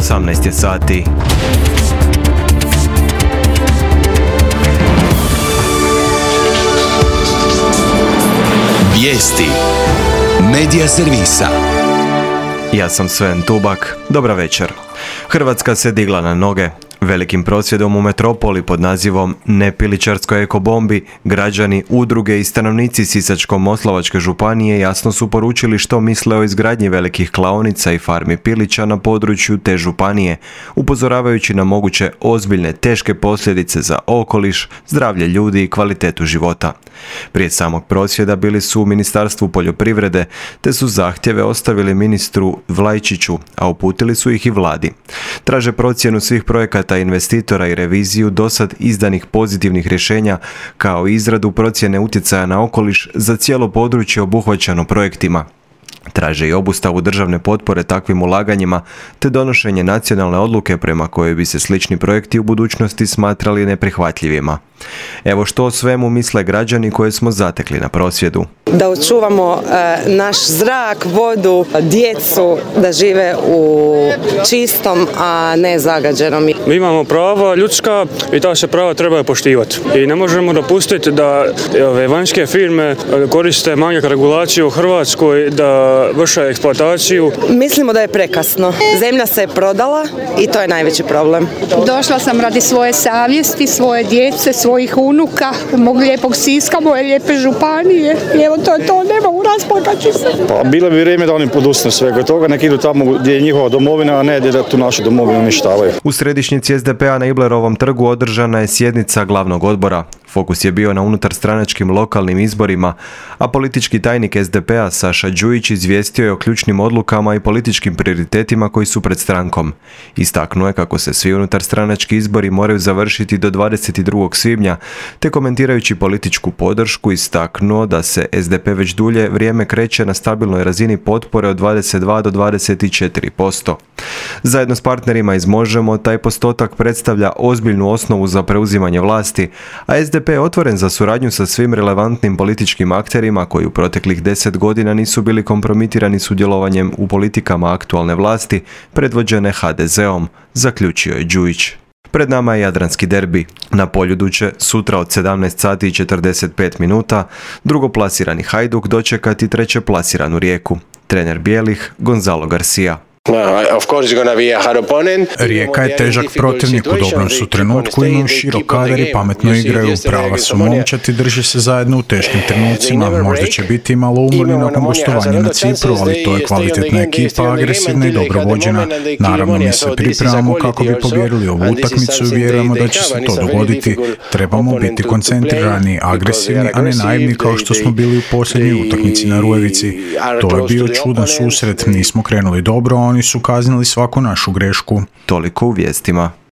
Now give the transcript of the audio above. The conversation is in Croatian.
18 je sati. Vijesti Medija servisa. Ja sam Sven Tubak. Dobra večer. Hrvatska se digla na noge. Velikim prosvjedom u metropoli pod nazivom Ne pilićarskoj ekobombi građani, udruge i stanovnici Sisačko-moslavačke županije jasno su poručili što misle o izgradnji velikih klaonica i farmi pilića na području te županije, upozoravajući na moguće ozbiljne teške posljedice za okoliš, zdravlje ljudi i kvalitetu života. Prije samog prosvjeda bili su u Ministarstvu poljoprivrede, te su zahtjeve ostavili ministru Vlajčiću, a uputili su ih i vladi. Traže procjenu svih projekata investitora i reviziju dosad izdanih pozitivnih rješenja, kao i izradu procjene utjecaja na okoliš za cijelo područje obuhvaćeno projektima. Traže i obustavu državne potpore takvim ulaganjima, te donošenje nacionalne odluke prema kojoj bi se slični projekti u budućnosti smatrali neprihvatljivima. Evo što o svemu misle građani koje smo zatekli na prosvjedu. Da očuvamo naš zrak, vodu, djecu, da žive u čistom, a ne zagađenom. Mi imamo prava ljudska i ta se prava trebaju poštivati. I ne možemo dopustiti da ove vanjske firme koriste manjak regulaciju u Hrvatskoj, da vrše eksploataciju. Mislimo da je prekasno. Zemlja se je prodala i to je najveći problem. Došla sam radi svoje savjesti, svoje djece, svojih unuka, mog lijepog Siska, moje lijepe županije. I evo to je to, nema u rasplakaći se. Pa bilo bi vrijeme da oni podustanu svega toga, nek idu tamo gdje je njihova domovina, a ne da tu našu domovinu uništavaju. U središnjici SDP-a na Iblerovom trgu održana je sjednica glavnog odbora. Fokus je bio na unutarstranačkim lokalnim izborima, a politički tajnik SDP-a Saša Đujić izvijestio je o ključnim odlukama i političkim prioritetima koji su pred strankom. Istaknuo je kako se svi unutarstranački izbori moraju završiti do 22. svibnja, te komentirajući političku podršku istaknuo da se SDP već dulje vrijeme kreće na stabilnoj razini potpore od 22 do 24%. Zajedno s partnerima iz Možemo, taj postotak predstavlja ozbiljnu osnovu za preuzimanje vlasti, a SDP je otvoren za suradnju sa svim relevantnim političkim akterima koji u proteklih 10 godina nisu bili kompromitirani sudjelovanjem u politikama aktualne vlasti predvođene HDZ-om, zaključio je Đujić. Pred nama je jadranski derbi. Na Poljudu će sutra od 17 sati i 45 minuta drugoplasirani Hajduk dočekati trećeplasiranu Rijeku. Trener bijelih Gonzalo Garcia. Rijeka je težak protivnik, u dobrom su trenutku, imaju širok kadar i pametno igraju, prava su momčati, drže se zajedno u teškim trenucima, možda će biti malo umorni nakon gostovanja na Cipru, ali to je kvalitetna ekipa, agresivna i dobro vođena. Naravno, mi se pripremamo kako bi pobjedili ovu utakmicu i vjerujemo da će se to dogoditi. Trebamo biti koncentrirani, agresivni, a ne naivni kao što smo bili u posljednjoj utakmici na Rujevici. To je bio čudan susret, nismo krenuli dobro, oni su kaznili svaku našu grešku. Toliko u vijestima.